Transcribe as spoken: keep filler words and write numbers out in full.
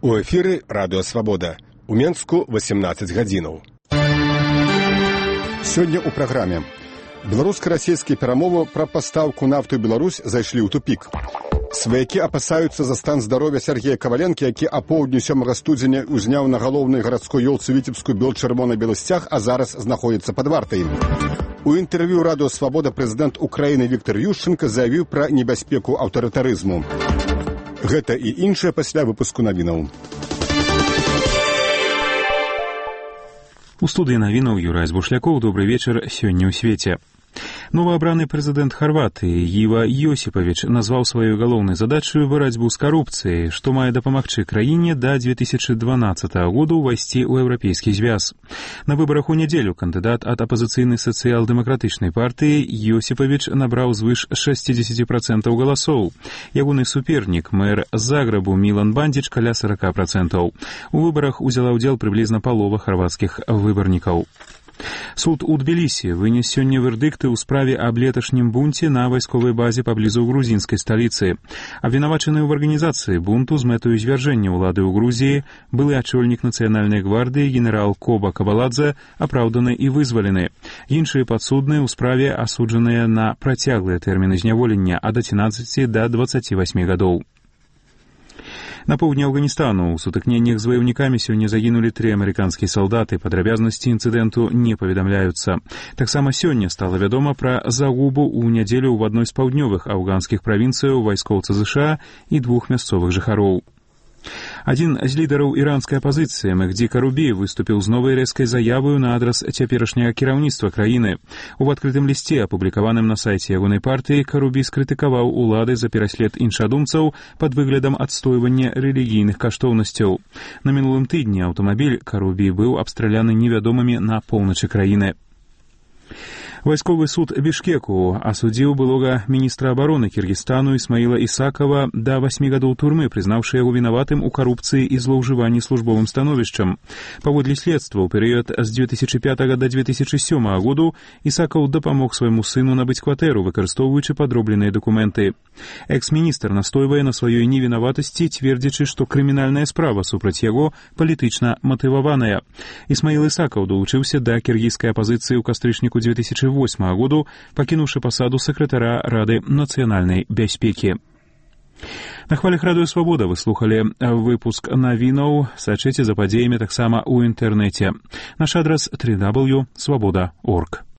У эфіры радыё Свабода. У Менску восемнадцать гадзінаў. Сёння ў праграме. Беларуска-расійскія перамовы пра пастаўку нафты ў Беларусь зайшлі ў тупік. Сваякі апасаюцца за стан здароўя Сергея Каваленкі, які апоўдню сёмага студзеня узняў на галоўнай гарадской ёлцы Віцебску бел-чырвона-белы сцяг, а зараз знаходзіцца пад вартай. У інтэрв'ю радыё Свабода прэзідэнт Украіны Віктор Ющенко заявіў пра небяспеку аўтарытарызму. Гэта і іншае пасля выпуску навінаў. У студыі навінаў Юрай Збушлякоў. Добрый вечар. Сёння ў свеце. Новоабраны прэзідэнт Харватыі Іва Йосіпович назваў сваёй галоўнай задачаю барацьбу з карупцыяй, што мае дапамагчы краіне да две тысячы дванаццатага года ўвайсці ў еўрапейскі звяз. На выбарах у нядзелю кандыдат ад апазіцыйнай сацыял-дэмакратычнай партыі Йосіпович набраў звыш шэсцьдзесят працэнтаў галасоў. Ягоны супернік, мэр Загребу Мілан Бандзіч, каля сорок працэнтаў. У выбарах узяла ўдзел прыблізна палова харвацкіх выбарнікаў. Суд у Тбілісі вынес сёння вердыкты ў справе аб леташнім бунце на вайсковай базе паблізу грузінскай сталіцы. Абвінавачаны ў арганізацыі бунту з мэтаю звяржэння ўлады ў Грузіі былы ачольнік нацыянальнай гвардыі генерал Коба Кабаладзе апраўданы і вызвалены. Іншыя падсудныя ў справе асуджаныя на працяглыя тэрміны зняволення ад адзінаццаці да дваццаці васьмі гадоў. На поўдні Афганістану ў сутыкненнях з ваяўнікамі сёння загінулі тры амерыканскія салдаты. Падрабязнасці інцыдэнту не паведамляюцца. Таксама сёння стала вядома пра загубу ў нядзелю ў адной з паўднёвых афганскіх правінцыяў вайскоўца ЗША і двух мясцовых жыхароў. Адзін з лідараў іранскай апазіцыі Мехді Карубі выступіў з новай рэзкай заяваю на адрас цяперашняга кіраўніцтва краіны. У адкрытым лісце, апублікаваным на сайце ягонай партыі, Карубі скрытыкаваў улады за пераслед іншадумцаў пад выглядам адстойвання рэлігійных каштоўнасцяў. На мінулым тыдні аўтамабіль Карубі быў абстраляны невядомымі на поўначы краіны. Вайсковы суд Бішкеку асудзіў былога міністра абароны Кіргізстану Ісмаіла Ісакова да васьмі гадоў турмы, прызнаўшы яго вінаватым у карупцыі і злоўжыванні службовым становішчам. Паводле следства, ў перыяд з две тысячы пятага да две тысячы сёмага году Ісакаў дапамог свайму сыну набыць кватэру, выкарыстоўваючы падробленыя дакументы. Экс-міністр настойвае на сваёй невінаватасці, цвердзячы, што крымінальная справа супраць яго палітычна матываваная. Ісмаіл Ісакаў далучыўся да кіргізскай апазіцыі ў кастрычніку две тысячы восьмага году, пакінуўшы пасаду сакратара Рады нацыянальнай бяспекі. На хвалях радыё Свабода вы слухалі выпуск навінаў. Сачыце за падзеямі таксама ў інтэрнэце. Наш адрас дабл ю дабл ю дабл ю крапка свабода крапка орг.